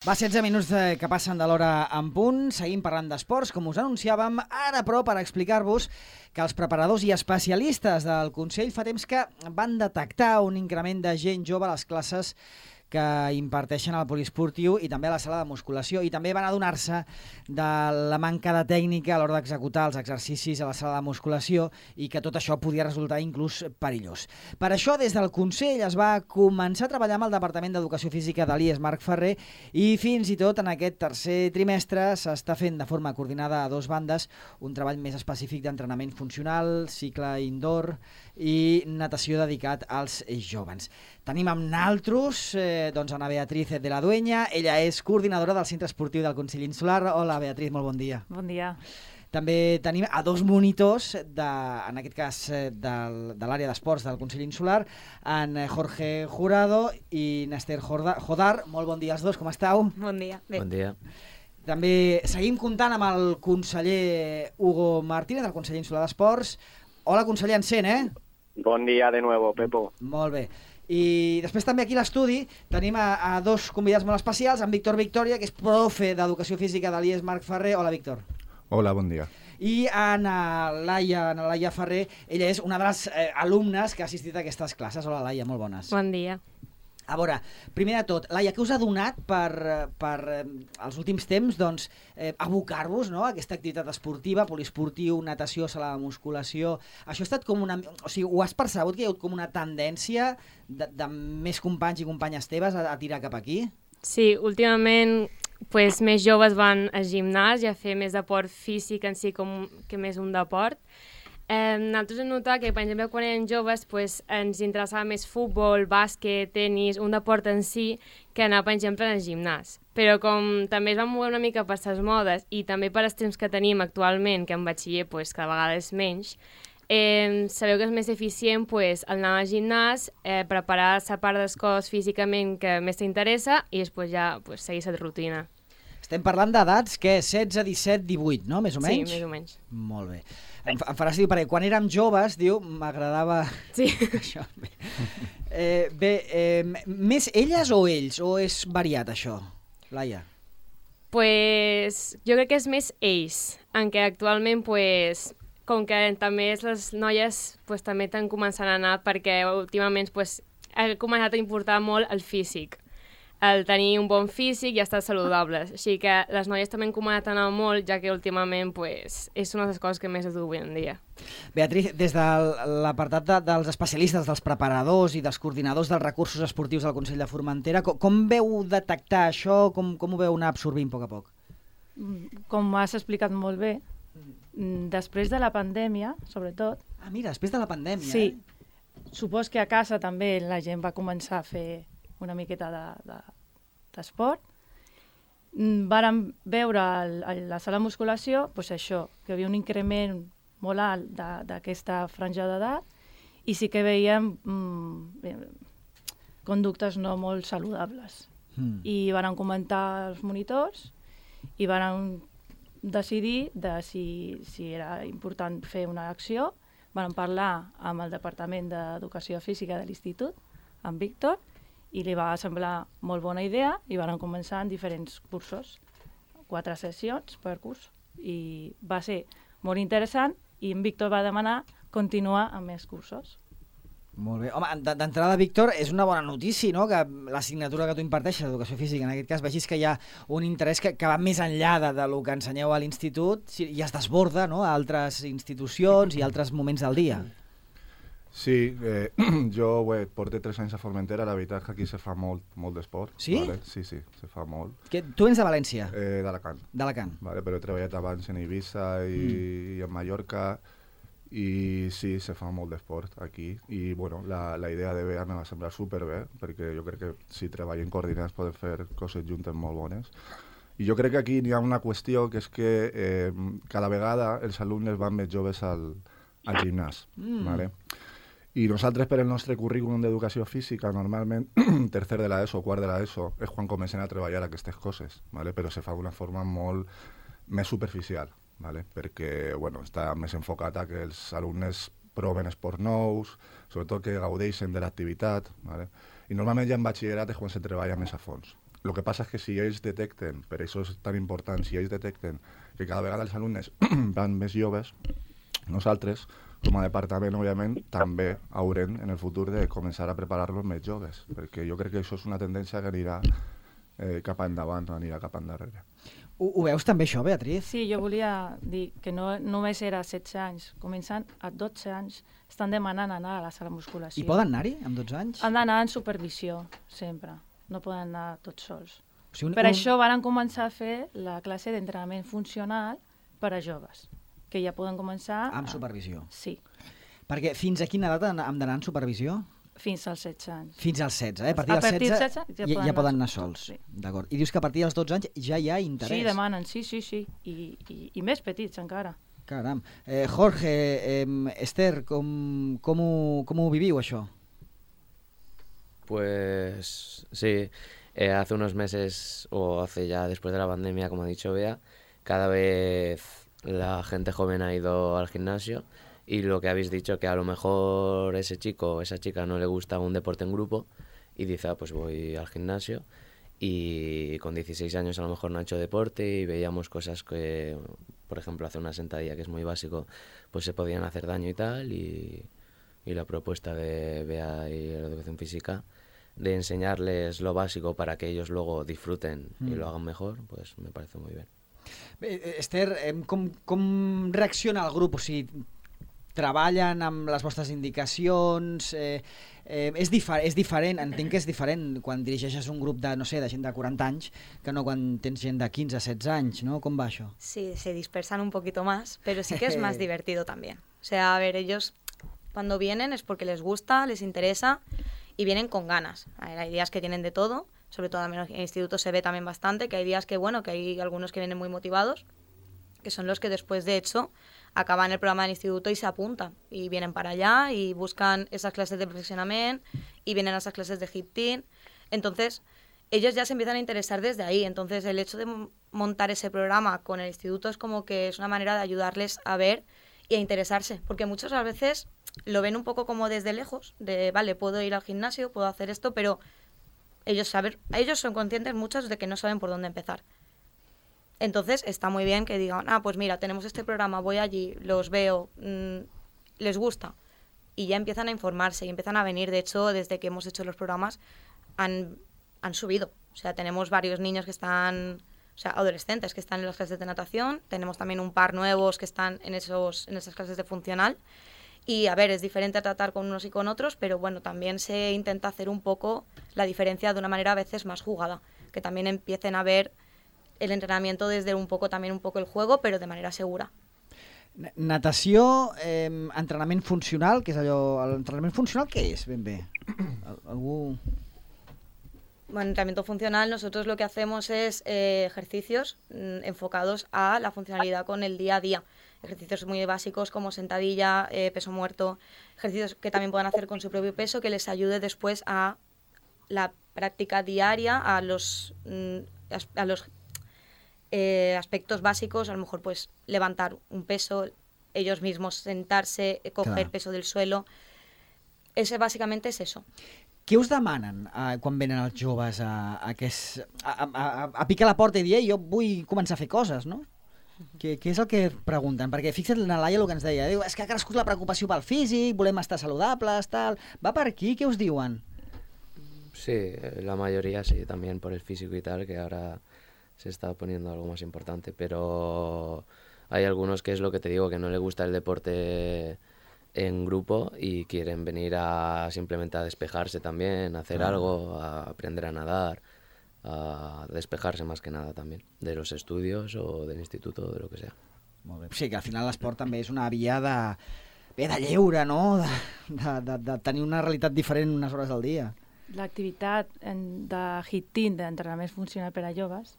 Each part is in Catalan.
Va, 16 minuts que passen de l'hora en punt, seguim parlant d'esports, com us anunciàvem, ara però per explicar-vos que els preparadors i especialistes del Consell fa temps que van detectar un increment de gent jove a les classes que imparteixen al poliesportiu i també a la sala de musculació, i també van adonar-se de la manca de tècnica a l'hora d'executar els exercicis a la sala de musculació i que tot això podia resultar inclús perillós. Per això, des del Consell es va començar a treballar amb el Departament d'Educació Física de l'IES Marc Ferrer i fins i tot en aquest tercer trimestre s'està fent de forma coordinada a dos bandes un treball més específic d'entrenament funcional, cicle indoor i natació dedicat als joves. Tenim amb naltros Ana Beatriz de la Dueña, ella és coordinadora del Centre Esportiu del Consell Insular. Hola, Beatriz, molt bon dia. Bon dia. També tenim a dos monitors, en aquest cas de l'àrea d'esports del Consell Insular, en Jorge Jurado i Nester Jodar. Molt bon dia als dos, com esteu? Bon dia. Bé. Bon dia. També seguim comptant amb el conseller Hugo Martínez, del Consell Insular d'Esports. Hola, conseller, ens sent, Bon dia de nuevo, Pepo. Molt bé. I després també aquí a l'estudi tenim a dos convidats molt especials, en Víctor Victoria, que és profe d'Educació Física de l'IES Marc Ferrer. Hola, Víctor. Hola, bon dia. I Laia Ferrer, ella és una de les alumnes que ha assistit a aquestes classes. Hola, Laia, molt bones. Bon dia. A veure, primer de tot, Laia, què us ha donat per els últims temps abocar-vos, no, a aquesta activitat esportiva, poliesportiu, natació, sala de musculació? Això ha estat com una... O sigui, ho has percebut que hi ha hagut com una tendència de més companys i companyes teves a tirar cap aquí? Sí, últimament més joves van al gimnàs i a fer més deport físic en si com que més un deport. Nosaltres hem notat que, per exemple, quan érem joves ens interessava més futbol, bàsquet, tenis, un deport en si, que anar, per exemple, al gimnàs. Però com també es van moure una mica per les modes i també per els temps que tenim actualment, que en batxiller cada vegada és menys, sabeu que és més eficient anar al gimnàs, preparar la part del cos físicament que més t'interessa i després ja seguir la rutina. Estem parlant d'edats, què? 16, 17, 18, no? Més o menys? Sí, més o menys. Molt bé. Em faràs dir, perquè quan érem joves, m'agradava... Sí. Això. Més elles o ells? O és variat, això, Laia? Jo crec que és més ells, en què actualment, com que també les noies també estan començant a anar perquè últimament ha començat a importar molt el físic. El tenir un bon físic i estar saludables. Així que les noies també han començat a anar molt, ja que últimament és una de les coses que més es du avui en dia. Beatriz, des de l'apartat dels especialistes, dels preparadors i dels coordinadors dels recursos esportius del Consell de Formentera, com veu detectar això? Com ho veu anar absorbint a poc a poc? Com has explicat molt bé, després de la pandèmia, sobretot... Ah, mira, després de la pandèmia, Sí. Supos que a casa també la gent va començar a fer una miqueta d'esport. Vàrem veure a la sala de musculació això, que hi havia un increment molt alt d'aquesta franja d'edat i sí que veiem conductes no molt saludables. I vàrem comentar als monitors i vàrem decidir si era important fer una acció. Vàrem parlar amb el Departament d'Educació Física de l'Institut, amb Víctor, i li va semblar molt bona idea i van començar en diferents cursos, 4 sessions per curs, i va ser molt interessant i en Víctor va demanar continuar amb més cursos. Molt bé. Home, d'entrada, Víctor, és una bona notícia, no?, que l'assignatura que tu imparteixes, l'educació física, en aquest cas, vegis que hi ha un interès que va més enllà del que ensenyeu a l'institut i es desborda, no?, a altres institucions i altres moments del dia. Sí, jo porto 3 anys a Formentera, la veritat que aquí se fa molt d'esport. Sí? Vale? Sí, se fa molt. Tu ets de València? D'Alacant. D'Alacant. Vale, però he treballat abans en Eivissa i en Mallorca i sí, se fa molt d'esport aquí i bueno, la idea de BEA me va semblar superbé perquè jo crec que si treballem coordinats podem fer coses juntes molt bones. I jo crec que aquí hi ha una qüestió que és que cada vegada els alumnes van més joves al gimnàs. Vale? I nosaltres, per el nostre currículum d'educació física, normalment, tercer de l'ESO o quart de l'ESO, és quan comencem a treballar aquestes coses, ¿vale? Però se fa d'una forma molt més superficial, ¿vale? Perquè està més enfocat a que els alumnes proven esports nous, sobretot que gaudeixen de l'activitat, ¿vale? I normalment ja en batxillerat és quan se treballa més a fons. el que passa és que si ells detecten, per això és tan important, si ells detecten que cada vegada els alumnes van més joves, nosaltres, com a departament, òbviament, també haurem en el futur de començar a preparar-los més joves, perquè jo crec que això és una tendència que anirà cap endavant, no anirà cap endarrere. Ho veus també això, Beatriz? Sí, jo volia dir que no només era 16 anys, començant a 12 anys, estan demanant anar a la sala de musculació. I poden anar-hi amb 12 anys? Han d'anar en supervisió, sempre. No poden anar tots sols. O sigui, Per això van començar a fer la classe d'entrenament funcional per a joves, que ja poden començar... Amb supervisió. Sí, Perquè fins a quina edat hem d'anar en supervisió? fins als 16 anys. Fins als 16, A partir dels 16 ja poden anar sols. Sí. D'acord. I dius que a partir dels 12 anys ja hi ha interès. Sí, demanen, sí. I més petits encara. Caram. Jorge, Esther, com ho viviu, això? Pues sí, hace unos meses, o hace ya después de la pandemia, como ha dicho Bea, cada vez la gente joven ha ido al gimnasio. Y lo que habéis dicho, que a lo mejor ese chico o esa chica no le gusta un deporte en grupo y dice, pues voy al gimnasio, y con 16 años a lo mejor no ha hecho deporte y veíamos cosas que, por ejemplo, hacer una sentadilla, que es muy básico, pues se podían hacer daño y tal, y la propuesta de Bea y la educación física de enseñarles lo básico para que ellos luego disfruten y lo hagan mejor, pues me parece muy bien. Esther, com reacciona el grup? O sigui, treballen amb les vostres indicacions? És diferent, entenc que és diferent quan dirigeixes un grup de, no sé, de gent de 40 anys que no quan tens gent de 15, 16 anys, ¿no? Com va això? Sí, se dispersan un poquito más, pero sí que es más divertido también. O sea, a ver, ellos cuando vienen es porque les gusta, les interesa y vienen con ganas. A ver, hay días que tienen de todo, sobre todo en el instituto se ve también bastante, que hay días que, bueno, que hay algunos que vienen muy motivados, que son los que después, de hecho, acaban el programa del instituto y se apuntan y vienen para allá y buscan esas clases de perfeccionamiento y vienen a esas clases de hip team. Entonces, ellos ya se empiezan a interesar desde ahí. Entonces, el hecho de montar ese programa con el instituto es como que es una manera de ayudarles a ver y a interesarse, porque muchos a veces lo ven un poco como desde lejos, de, vale, puedo ir al gimnasio, puedo hacer esto, pero ellos son conscientes muchos de que no saben por dónde empezar. Entonces está muy bien que digan, pues mira, tenemos este programa, voy allí, los veo, les gusta. Y ya empiezan a informarse y empiezan a venir. De hecho, desde que hemos hecho los programas han subido. O sea, tenemos varios niños que están, o sea, adolescentes que están en las clases de natación. Tenemos también un par nuevos que están en esas clases de funcional. Y a ver, es diferente tratar con unos y con otros, pero bueno, también se intenta hacer un poco la diferencia de una manera a veces más jugada. Que también empiecen a ver el entrenamiento desde un poco el juego, però de manera segura. Natació, entrenament funcional, que és allò... L'entrenament funcional què és, ben bé? Algú... Bueno, entrenamiento funcional, nosotros lo que hacemos es ejercicios enfocados a la funcionalidad con el día a día. Ejercicios muy básicos como sentadilla, peso muerto, ejercicios que también puedan hacer con su propio peso, que les ayude después a la práctica diaria, a los aspectos básicos, a lo mejor pues levantar un peso, ellos mismos sentarse, coger peso del suelo. Básicamente es eso. Què us demanen quan venen els joves a picar la porta i dir jo vull començar a fer coses, no? Què és el que pregunten? Perquè fixa't la Laia el que ens deia, diu, és que ha crescut la preocupació pel físic, volem estar saludables, tal... Va per aquí? Què us diuen? Sí, la mayoría sí, también por el físico y tal, que ahora se está poniendo algo más importante, pero hay algunos que es lo que te digo, que no les gusta el deporte en grupo y quieren venir simplemente a despejarse también, a hacer algo, a aprender a nadar, a despejarse más que nada también, de los estudios o del instituto o de lo que sea. Molt bé. Sí, que al final l'esport també és una via de lleure, no? De tenir una realitat diferent unes hores al dia. L'activitat de HIIT Team, d'entrenament funcional per a joves,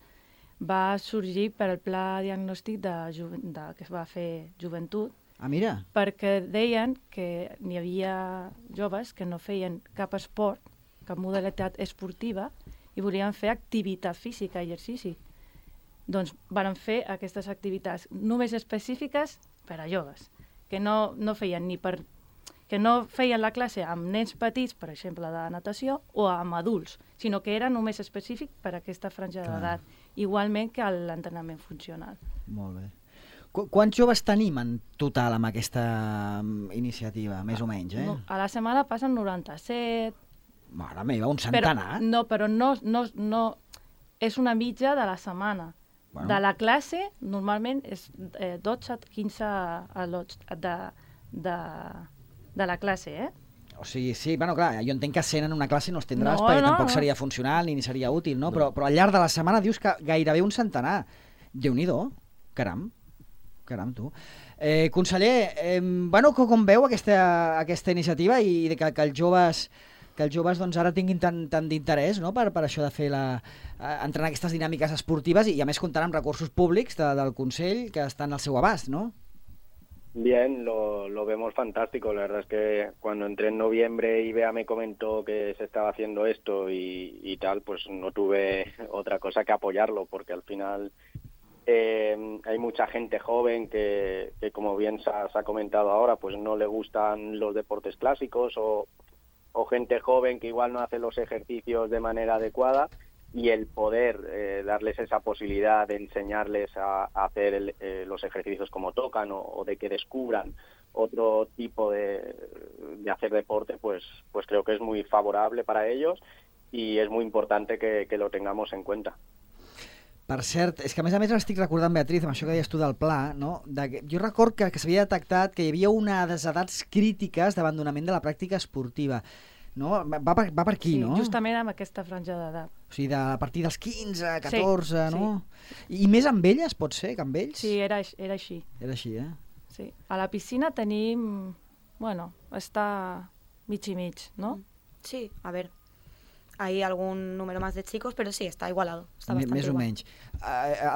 va sorgir per al pla diagnòstic que es va fer Joventut. Ah, mira. Perquè deien que n'hi havia joves que no feien cap esport, cap modalitat esportiva, i volien fer activitat física, exercici. Doncs van fer aquestes activitats només específiques per a joves, que no feien ni per... que no feien la classe amb nens petits, per exemple, de natació, o amb adults, sinó que era només específic per a aquesta franja d'edat, igualment que l'entrenament funcional. Molt bé. Quants joves tenim en total amb aquesta iniciativa, més o menys? A la setmana passen 97... Mare meva, un centenar? Però no és una mitja de la setmana. Bueno. De la classe, normalment, és 12-15 al·lots de la classe, O sigui, sí, bueno, clar, jo entenc que 100 en una classe no els tindràs perquè tampoc seria funcional ni seria útil, no? Però al llarg de la setmana dius que gairebé un centenar. Déu-n'hi-do, caram, tu. Conseller, com veu aquesta iniciativa i que els joves doncs, ara tinguin tant d'interès, no? per això de fer entrenar aquestes dinàmiques esportives i a més comptant amb recursos públics del Consell que estan al seu abast, no? Bien, lo vemos fantástico. La verdad es que cuando entré en noviembre y Bea me comentó que se estaba haciendo esto y tal, pues no tuve otra cosa que apoyarlo, porque al final hay mucha gente joven que como bien se ha comentado ahora, pues no le gustan los deportes clásicos o gente joven que igual no hace los ejercicios de manera adecuada, y el poder darles esa posibilidad de enseñarles a hacer los ejercicios como tocan o de que descubran otro tipo de hacer deporte, pues creo que es muy favorable para ellos y es muy importante que lo tengamos en cuenta. Per cert, és que a més estic recordant, Beatriz, amb això que deies tu del pla, no? Jo record que s'havia detectat que hi havia unes edats crítiques d'abandonament de la pràctica esportiva. No? Va per aquí, no? Sí, justament amb aquesta franja d'edat. O sigui, a partir dels 15, 14, no? Sí. I més amb elles, pot ser, que amb ells? Sí, era així. Era així, Sí. A la piscina tenim... Bueno, està mig i mig, ¿no? Sí, a ver. Hay algún número más de chicos, pero sí, está igualado. Está bastante més o igual. menys.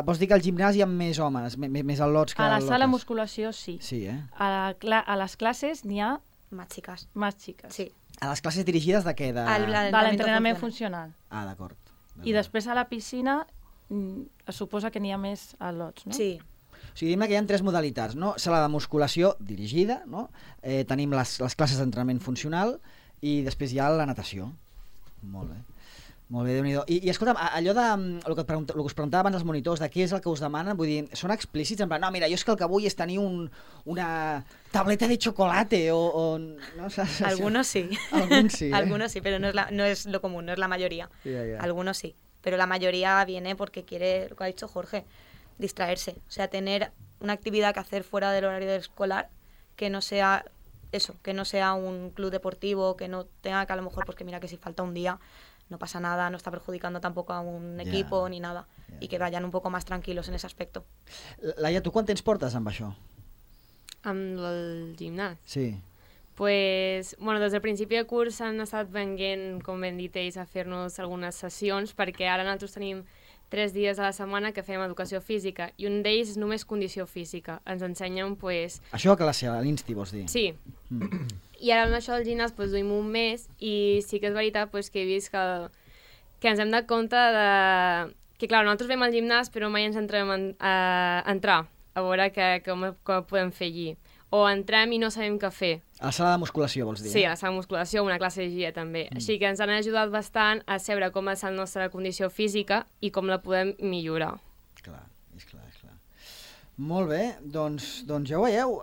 Vols dir que al gimnàs hi ha més homes, més al·lots que a la al·lotes? sala de musculació sí. Sí, A les classes n'hi ha Más chicas. més xiques. Sí. A les classes dirigides de què? De l'entrenament funcional. Ah, d'acord. I després a la piscina es suposa que n'hi ha més al·lots, no? Sí. O sigui, diguem que hi ha 3 modalitats, no? Sala de musculació dirigida, no? Tenim les classes d'entrenament funcional i després hi ha la natació. Molt bé. Molt bé, Déu-n'hi-do. I escolta'm, allò de el que us preguntava abans els monitors, de què és el que us demanen, vull dir, són explícits? En plan, no, mira, jo és que el que vull és tenir una tableta de chocolate o no? Algunos sí. Algunos sí, Algunos sí, pero no es lo común, no es la mayoría. Yeah. Algunos sí, pero la mayoría viene porque quiere, lo que ha dicho Jorge, distraerse. O sea, tener una actividad que hacer fuera del horario escolar que no sea eso, que no sea un club deportivo, que no tenga que a lo mejor, pues que mira que si falta un día no pasa nada, no está perjudicando tampoco a un equipo ni nada, y que vayan un poco más tranquilos en ese aspecto. Laia, tu quant temps portes amb això? Amb el gimnàs? Sí. Pues, bueno, des del principi de curs han estat venint, com ben dit ells, a fer-nos algunes sessions, perquè ara nosaltres tenim 3 dies a la setmana que fem educació física, i un d'ells és només condició física. Ens ensenyen, pues... Això a classe, a l'Insti, vols dir? Sí. I ara amb això del gimnàs pues, duim un mes, i sí que és veritat pues, que he vist que ens hem dat compte de... que, clar, nosaltres vam al gimnàs, però mai ens entrem a entrar, a veure com podem fer allí. O entrem i no sabem què fer. A la sala de musculació, vols dir? Sí, a la sala de musculació, una classe de GIA també. Així que ens han ajudat bastant a saber com és la nostra condició física i com la podem millorar. Clar, és clar. Molt bé, doncs ja ho veieu.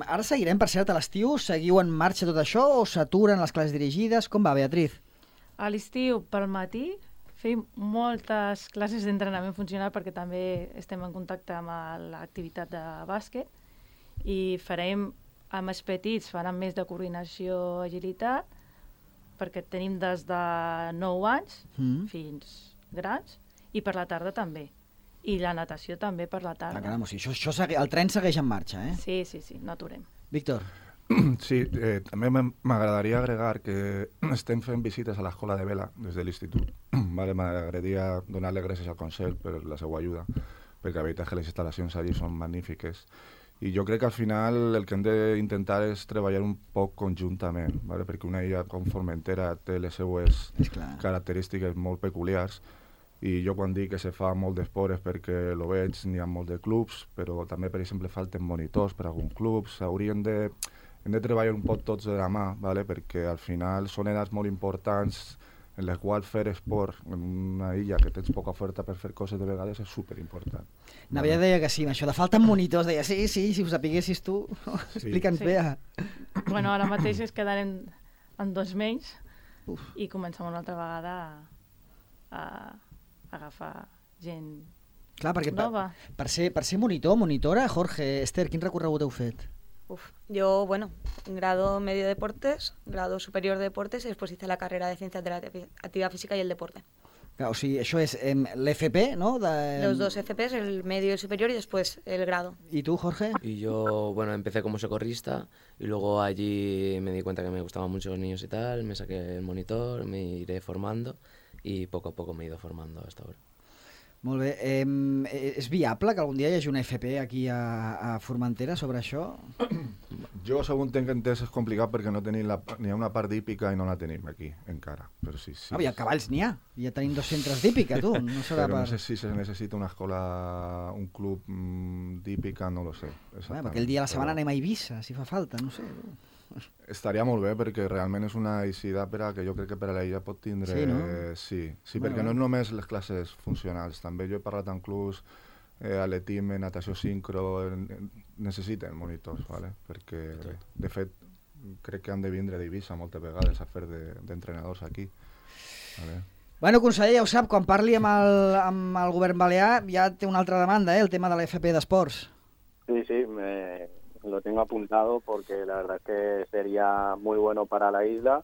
Ara seguirem, per cert, a l'estiu. Seguiu en marxa tot això o s'aturen les classes dirigides? Com va, Beatriz? A l'estiu, pel matí, fem moltes classes d'entrenament funcional perquè també estem en contacte amb l'activitat de bàsquet i farem amb els petits, faran més de coordinació, agilitat, perquè tenim des de 9 anys fins grans, i per la tarda també. I la natació també per la tarda. Caram, o sigui, el tren segueix en marxa, Sí, no aturem. Víctor. Sí, també m'agradaria agregar que estem fent visites a l'escola de vela des de l'institut. Vale, m'agradaria donar-li gràcies al Consell per la seva ajuda, perquè la veritat és que les instal·lacions allí són magnífiques. I jo crec que al final el que hem d'intentar és treballar un poc conjuntament, ¿vale? Perquè una illa com Formentera té les seues característiques molt peculiars, i jo quan dic que se fa molt d'esport és perquè lo veig, n'hi ha molt de clubs, però també, per exemple, falten monitors per a alguns clubs. Haurien de hem de treballar un poc tots de la mà, ¿vale? Perquè al final són edats molt importants en les quals fer esport en una illa que tens poca oferta per fer coses de vegades és superimportant. Navia deia que sí, això de falten monitors, deia sí, si ho sapiguessis tu, explica'ns bé. Bueno, ara mateix es quedarem en 2 menys i comencem una altra vegada a agafar gent nova. Per ser monitora, Jorge, Esther, quin recorregut heu fet? Yo, grado medio de deportes, grado superior de deportes y después hice la carrera de ciencias de la actividad física y el deporte. Claro, o sigui, això és l'FP, ¿no? Los 2 FPs, el medio y el superior y después el grado. ¿Y tú, Jorge? Y yo, empecé como socorrista y luego allí me di cuenta que me gustaban mucho los niños y tal, me saqué el monitor, me iré formando y poco a poco me he ido formando hasta ahora. Molt bé. És viable que algun dia hi hagi una FP aquí a Formentera sobre això? Jo, segons tenc entès, és complicat perquè no tenim n'hi ha una part d'hípica i no la tenim aquí, encara. Però sí. I a Cavalls n'hi ha. Ja tenim 2 centres d'hípica, tu. No serà però no sé si se necessita una escola, un club d'hípica, no lo sé. Aquell dia a la setmana anem a Eivissa, si fa falta, no sé. Estaria molt bé perquè realment és una eixida que jo crec que per a l'illa pot tindre... Sí, no? Sí, perquè no és només les classes funcionals, també jo he parlat amb clubs, atletisme, natació sincro, necessiten monitors, ¿vale? Perquè de fet crec que han de vindre d'Eivissa moltes vegades a fer d'entrenadors aquí. ¿Vale? Bueno, conseller, ja ho sap, quan parli amb el govern balear ja té una altra demanda, el tema de l'FP d'esports. Sí, lo tengo apuntado porque la verdad es que sería muy bueno para la isla,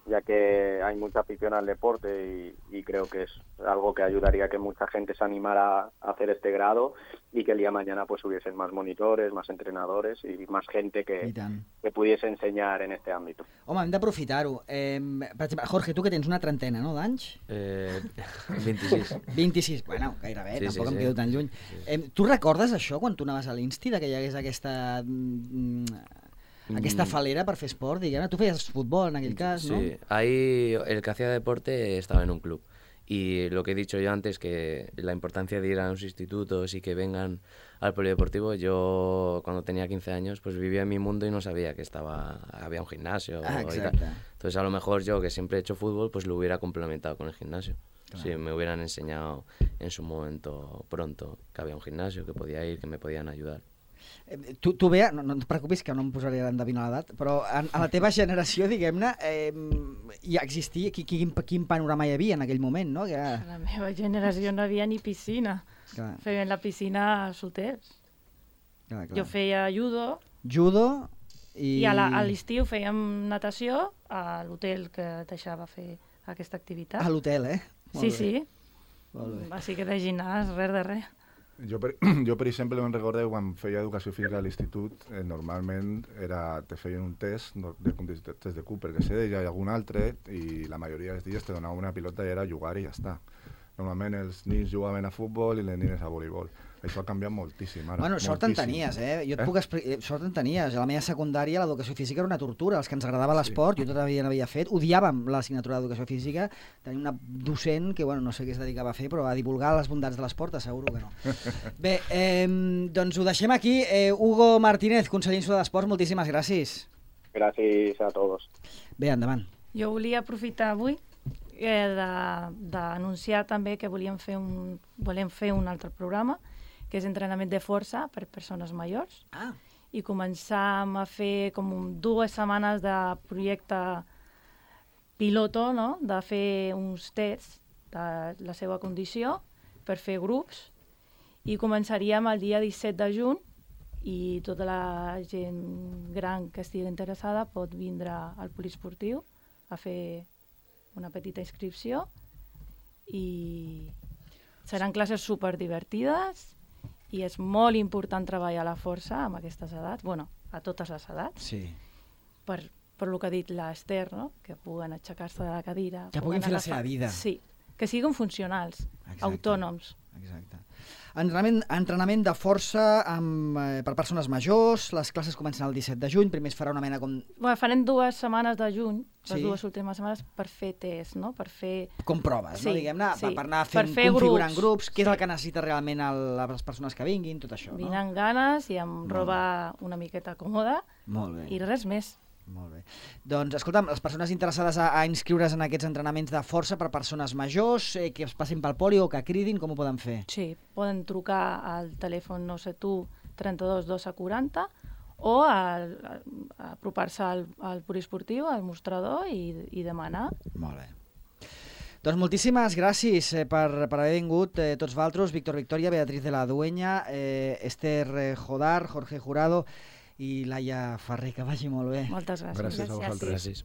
ya que hay mucha afición al deporte y creo que es algo que ayudaría a que mucha gente se animara a hacer este grado y que el día de mañana pues hubiesen más monitores, más entrenadores y más gente que pudiese ensenyar en este àmbit. Home, hem d'aprofitar-ho. Per exemple, Jorge, tu que tens una trentena, no, d'anys? 26. 26, bueno, gairebé, tampoc em quedo tan lluny. Tu recordes això quan tu anaves a l'Insti, que hi hagués aquesta falera per fer esport, diguem? Tu feies futbol en aquell cas, ¿no? Sí, ahí el que hacía deporte estaba en un club. Y lo que he dicho yo antes, que la importancia de ir a los institutos y que vengan al polideportivo, yo cuando tenía 15 años pues vivía en mi mundo y no sabía que había un gimnasio. Y tal. Entonces a lo mejor yo, que siempre he hecho fútbol, pues lo hubiera complementado con el gimnasio. Claro. Si me hubieran enseñado en su momento pronto que había un gimnasio, que podía ir, que me podían ayudar. Tu Bea, no et preocupis que no em posaré a endevinar l'edat, però a la teva generació, diguem-ne, ja existia, quin panorama hi havia en aquell moment, no? A la meva generació no havia ni piscina. Clar. Feien la piscina als hotels. Clar. Jo feia judo. Judo i a l'estiu fèiem natació a l'hotel que deixava fer aquesta activitat. A l'hotel, Sí. Així que de gimnàs, res de res. Jo, per exemple, me'n recordo quan feia educació física a l'institut, normalment te feien un test de Cooper, que sé, i algun altre, i la majoria dels dies te donaven una pilota i era jugar i ja està. Normalment els nins jugaven a futbol i les nines a voleibol. Això ha canviat moltíssim ara. Bueno, sort en tenies, Jo et puc explicar, sort en tenies. A la meva secundària l'educació física era una tortura. Els que ens agradava l'esport, jo todavía n'havia fet, odiàvem l'assignatura d'educació física. Tenim una docent que, no sé què es dedicava a fer, però a divulgar les bondats de l'esport, asseguro que no. Bé, doncs ho deixem aquí. Hugo Martínez, conseller insular d'Esports, moltíssimes gràcies. Gràcies a tots. Bé, endavant. Jo volia aprofitar avui d'anunciar també que volem fer un altre programa, que és entrenament de força per persones majors, i començar a fer com 2 setmanes de projecte piloto, no? De fer uns tests de la seva condició per fer grups, i començaríem el dia 17 de juny i tota la gent gran que estigui interessada pot vindre al poliesportiu a fer una petita inscripció i seran classes superdivertides i és molt important treballar la força amb aquestes edats, a totes les edats, per el que ha dit l'Esther, no? Que puguen aixecar-se de la cadira. Que puguin fer la seva vida. Sí, que siguin funcionals, autònoms. Exacte. Entrenament de força per persones majors, les classes comencen el 17 de juny, primer es farà una mena com... Bueno, farem 2 setmanes de juny, les Sí. 2 últimes setmanes, per fer test, no? Per fer... Com proves, no? Sí, Diguem-ne, sí. per anar Per fent, fer configurant grups. grups, què és el que necessita realment les persones que vinguin, tot això, no? Vine amb ganes i amb roba una miqueta còmoda Molt bé. i res més. Molt bé. Doncs, escolta'm, les persones interessades a inscriure's en aquests entrenaments de força per persones majors, que es passin pel poli o que cridin, com ho poden fer? Sí, poden trucar al telèfon 971 32 12 40 o apropar-se al poliesportiu, al mostrador i demanar. Molt bé. Doncs moltíssimes gràcies per haver vingut tots vosaltres, Víctor Victoria, Beatriz de la Dueña, Esther Jodar, Jorge Jurado i Laia Ferrer, que vagi molt bé. Moltes gràcies. Gràcies a vosaltres. Gràcies.